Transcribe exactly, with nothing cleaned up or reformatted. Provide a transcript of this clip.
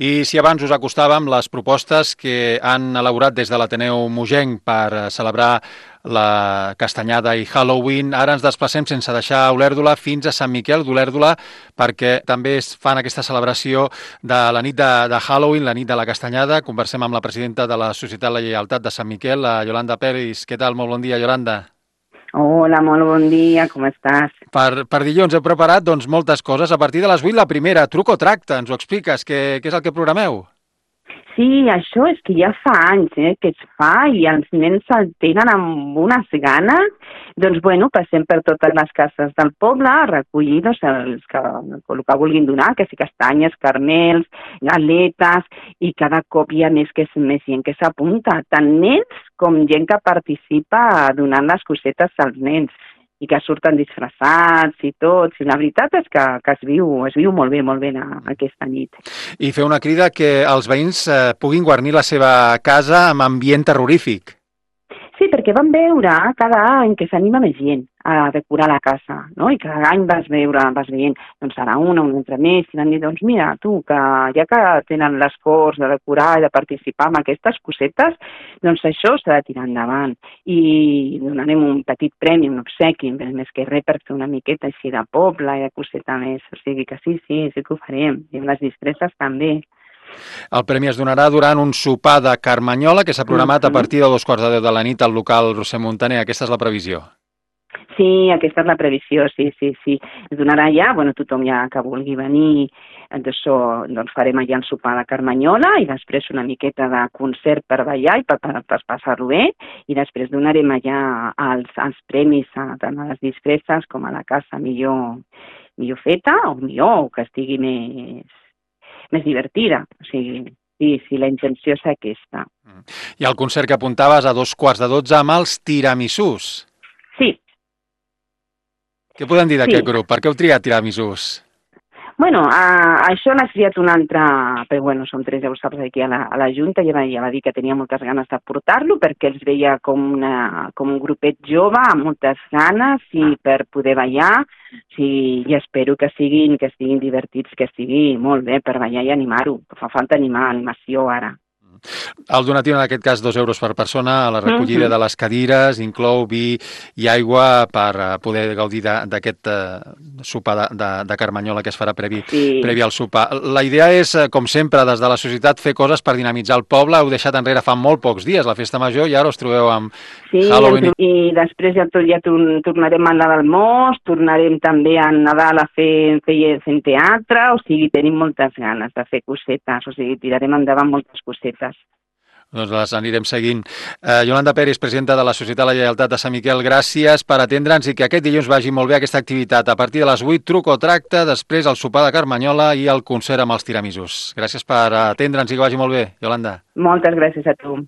I si abans us acostàvem les propostes que han elaborat des de l'Ateneu Mogenc per celebrar la Castanyada i Halloween, ara ens desplacem sense deixar Olèrdola fins a Sant Miquel d'Olèrdola perquè també es fan aquesta celebració de la nit de, de Halloween, la nit de la Castanyada. Conversem amb la presidenta de la Societat La Lleialtat de Sant Miquel, la Yolanda Peris. Què tal? Molt bon dia, Yolanda. Hola, molt bon dia, com estàs? Per, per dilluns he preparat doncs, moltes coses. A partir de les vuit, la primera, truc o tracte, ens ho expliques? Què, què és el que programeu? Sí, això és que ja fa anys eh, que es fa i els nens el tenen amb unes ganes. Doncs, bueno, passem per totes les cases del poble a recollir doncs, els que, el que vulguin donar, que si castanyes, carmels, galetes, i cada cop hi ha més, que, més gent que s'apunta, tant nens com gent que participa donant les cosetes als nens i que surten disfressats i tots. I la veritat és que, que es, viu, es viu molt bé, molt bé aquesta nit. I fer una crida que els veïns eh, puguin guarnir la seva casa amb ambient terrorífic. Sí, perquè vam veure cada any que s'anima més gent a decorar la casa, no? I cada any vas veure, vas veient, doncs serà una, una altra més, i van dir, doncs mira, tu, que ja que tenen l'esforç de decorar i de participar en aquestes cosetes, doncs això s'ha de tirar endavant. I donarem un petit premi, un obsequi, més que res per fer una miqueta així de poble i de coseta més. O sigui que sí, sí, sí que ho farem. I amb les disfresses també. El premi es donarà durant un sopar de Carmanyola que s'ha programat a partir de dos quarts de deu de la nit al local Roser Montaner. Aquesta és la previsió. Sí, aquesta és la previsió, sí, sí, sí. Es donarà ja, bueno, tothom ja que vulgui venir, doncs, doncs farem allà el sopar de Carmanyola i després una miqueta de concert per ballar i per, per, per passar-ho bé, i després donarem allà els, els premis a, tant a les disfresses com a la casa millor, millor feta o millor, o que estigui més, més divertida. O sigui, sí, sí, la intenció és aquesta. I el concert que apuntaves a dos quarts de dotze amb els tiramisús. Sí. Què podem dir d'aquest sí. grup? Per què heu triat tiramisús? Bueno, a, això l'ha triat un altre, però bueno, som tres, ja ho saps, aquí a la, a la Junta, ja va, ja va dir que tenia moltes ganes de portar-lo perquè els veia com, una, com un grupet jove, amb moltes ganes i per poder ballar, sí, i espero que siguin, que estiguin divertits, que estigui molt bé per ballar i animar-ho. Fa falta animar, animació ara. El donatiu, en aquest cas, dos euros per persona, a la recollida de les cadires, inclou vi i aigua per poder gaudir d'aquest sopar de, de, de Carmanyola que es farà previ, sí. previ al sopar. La idea és, com sempre, des de la societat, fer coses per dinamitzar el poble. Heu deixat enrere fa molt pocs dies la festa major i ara us trobeu amb sí, Halloween. I, i després ja, ja tornarem al Nadal Mos, tornarem també a Nadal a fer, fer, fent teatre, o sigui, tenim moltes ganes de fer cosetes, o sigui, tirarem endavant moltes cosetes. Doncs les anirem seguint. Eh, Yolanda Peris, presidenta de la Societat La Lleialtat de Sant Miquel, gràcies per atendre'ns i que aquest dilluns vagi molt bé aquesta activitat. A partir de les vuit, truc o tracte, després el sopar de Carmanyola i el concert amb els tiramisús. Gràcies per atendre'ns i que vagi molt bé, Yolanda. Moltes gràcies a tu.